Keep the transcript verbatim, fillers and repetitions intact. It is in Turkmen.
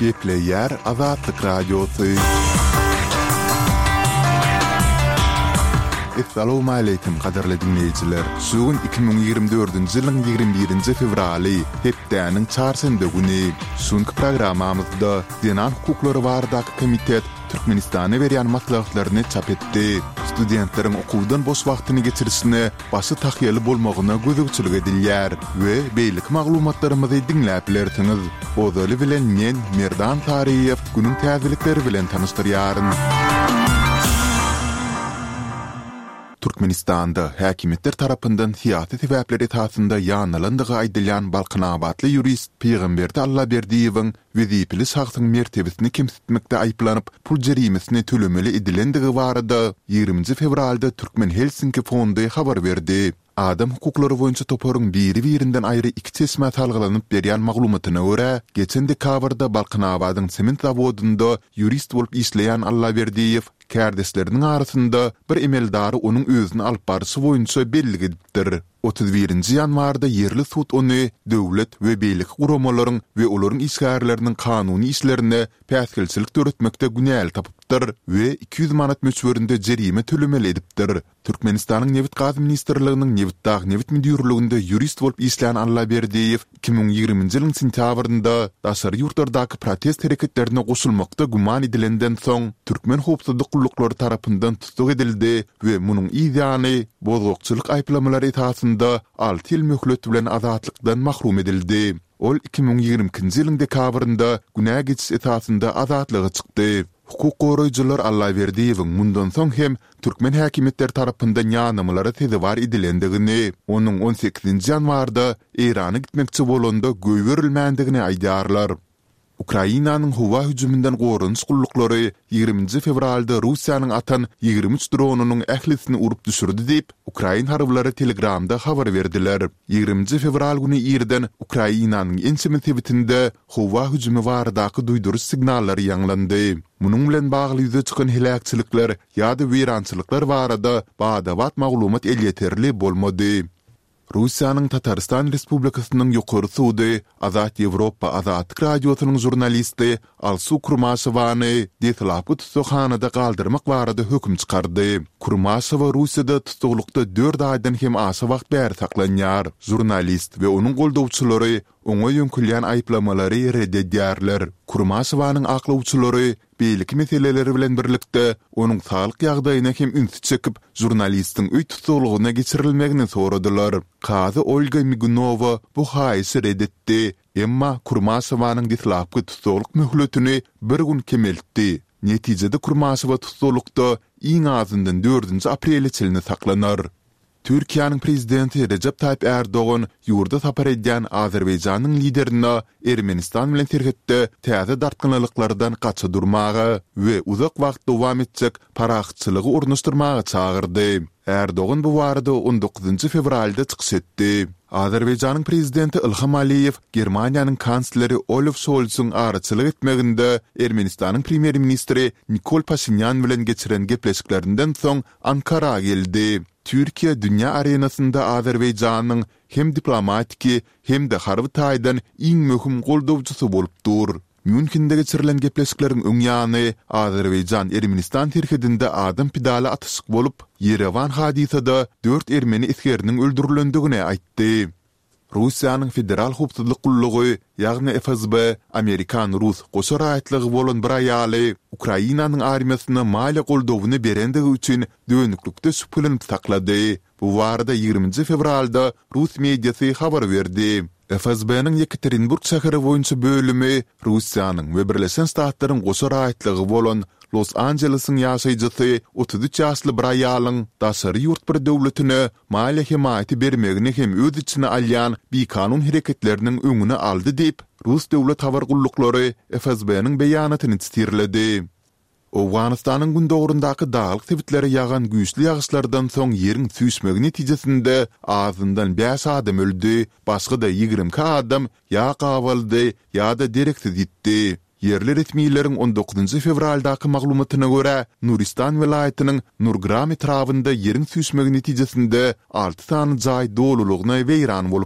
Gepleýär Azatlyk Radiosy. Essalawmaleýkim gadyrly diňleýjiler! Şu gün iki müň ýigrimi dördünji ýylyň ýigrimi birinji fewraly, hepdäniň çarşenbe güni. Şu günki programmamyzda Zenan hukuklary baradaky komitet Türkmenistana berýän maslahatlaryny çap etdi. Studentleriň okuwdan boş wagtyny geçirişine başy tahýaly bolmagyna gözegçilik edilýär we beýleki maglumatlarymyzy diňläp bilersiňiz. Ozaly bilen men, Merdan Saryýew, günüň täzelikleri bilen tanyşdyrýaryn. Türkmenistanda häkimiýetler tarapyndan syýasy sebäpler esasynda ýanylandygy aýdylýan balkanabatly ýurist Pygamberdi Allaberdiýewiň wezipeli şahsyň mertebesini kemsitmekde aýyplanyp, pul jerimesini tölemeli edilendigi barada ýigriminji fewralda Türkmen Helsinki fondy habar berdi. Adam hukuklary boýunça toparyň biri-birinden aýry iki çeşmä salgylanyp berýän maglumatyna görä, geçen dekabrda Balkanabadyň sement zawodynda ýurist bolup işleýän Allaberdiýew kärdeşleriniň arasynda bir emeldary onuň özüni alyp barşy boýunça bellik edipdir. Otuz birinji ýanwarda ýerli sud ony döwlet we beýleki guramalaryň we olaryň işgärleriniň kanuny işlerine päsgelçilik döretmekde günäli tapypdyr we iki ýüz manat möçberinde jerime tölemeli edipdir. Türkmenistanyň Nebit-gaz ministrliginiň Nebitdag nebit müdirliginde ýurist bolup işlän Allaberdiýew iki müň ýigriminji ýylyň sentýabrynda daşary ýurtlardaky protest hereketlerine goşulmakda güman edilenden soň, türkmen howpsuzlyk gulluklary tarapyndan tussag edildi we munuň yz ýany bozgakçylyk aýyplamalary esasynda alty ýyl möhlet bilen azatlykdan mahrum edildi. Ol iki müň ýigrimi ikinji ýylyň dekabrynda günä geçiş esasynda azatlyga çykdy. Hukuk goraýjylar Allaberdiýewiň mundan soň hem türkmen häkimiýetleri tarapyndan ýanamalara sezewar edilendigini, onuň on sekizinji ýanwarda Eýrana gitmekçi bolanda goýberilmändigini aýdýarlar. Ukrainanyň howa hüjüminden goranyş gulluklary ýigriminji fewralda Russiýanyň atan ýigrimi üç dronynyň ählisini urup düşürdi diýip, ukrain harbylary Telegramda habar berdiler. Ýigriminji fewral güni irden Ukrainanyň ençeme sebitinde howa hüjümi baradaky duýduryş signallary ýaňlandy. Munuň bilen bagly ýüze çykan heläkçilikler ýa-da weýrançylyklar barada bada-bat maglumat elýeterli bolmady. Russiýanyň Tatarystan Respublikasynyň Ýokary sudy Azat Ýewropa Azatlyk Radiosynyň žurnalisti Alsu Kurmaşewany deslapky tussaghanada galdyrmak barada höküm çykardy. Kurmaşewa Russiýada tussaglykda dört aýdan hem aşa wagt bäri saklanýar. Žurnalist we onuň goldawçylary oňa ýöňkülýän aýyplamalary ret edýärler. Kurmaşewanyň aklawçylary beýleki meseleler bilen birlikde, onuň saglyk ýagdaýyna hem ünsi çekip, žurnalistiň öý tussaglygyna geçirilmegini soradylar. Kazy Olga Migunowa bu haýyşy ret etdi, emma Kurmaşewanyň deslapky tussaglyk möhletini bir gün kemeltdi. Netijede Kurmaşewa tussaglykda iň azyndan dördünji aprele çenli saklanar. Türkiýäniň Prezidenti Rejep Taýyp Ärdogan ýurda sapar edýän Azerbaýjanyň liderine Ermenistan bilen serhetde täze dartgynlylyklardan gaça durmaga we uzak wagt dowam etjek parahatçylygy ornaşdyrmaga çagyrdy. Ärdogan bu barada on dokuzynjy fewralda çykyş etdi. Azerbaýjanyň Prezidenti Ilham Aliýew Germaniýanyň Kansleri Olaf Şolsyň araçylyk etmeginde Ermenistanyň Premýer-ministri Nikol Paşinýan bilen geçiren gepleşiklerinden soň Ankara geldi. Türkiýe dünýä arenasynda Azerbaýjanyň hem diplomatiki, hem-de harby taýdan iň möhüm goldawçysy bolup dur. Mýunhende geçirilen gepleşikleriň öň ýany Azerbaýjan-Ermenistan serhedinde adam pidaly atyşyk bolup, Ýerewan hadysada dört ermeni esgeriniň öldürilendigini aýtdy. Russiýanyň Federal howpsuzlyk gullugy, ýagny FSB, amerikan-rus goşa raýatlygy bolan bir aýaly Ukrainanyň armiýasyna maliýe goldawyny berendigi üçin dönüklikde şübhelenip saklady. Bu barada ýigriminji fewralda rus mediasy habar berdi. FSB-niň Ýekaterinburg şäheri boýunça bölümi Russiýanyň we Birleşen Ştatlaryň goşa raýatlygy bolan Los-Anjelesiň ýaşaýjysy otuz üç ýaşly bir aýalyň daşary ýurt bir döwletine maliýe hemaýaty bermegini hem öz içine alýan bikanun hereketleriniň öňüni aldy diýip, rus döwlet habar gulluklary FSB-niň beýanatyny sitirledi. Owganystanyň gündogaryndaky daglyk sebitlere ýagan güýçli ýagyşlardan soň ýeriň süýşmegi netijesinde azyndan bäş adam öldi, başga-da ýigrimi iki adam ýa gabaldy, ýa-da dereksiz ýitdi. Ýerli resmileriň on dokuzynjy fewraldaky maglumatyna görä, Nuristan welaýatynyň Nurgram etrabynda ýeriň süýşmegi netijesinde alty sany jaý dolulygyna weýran bolupdyr.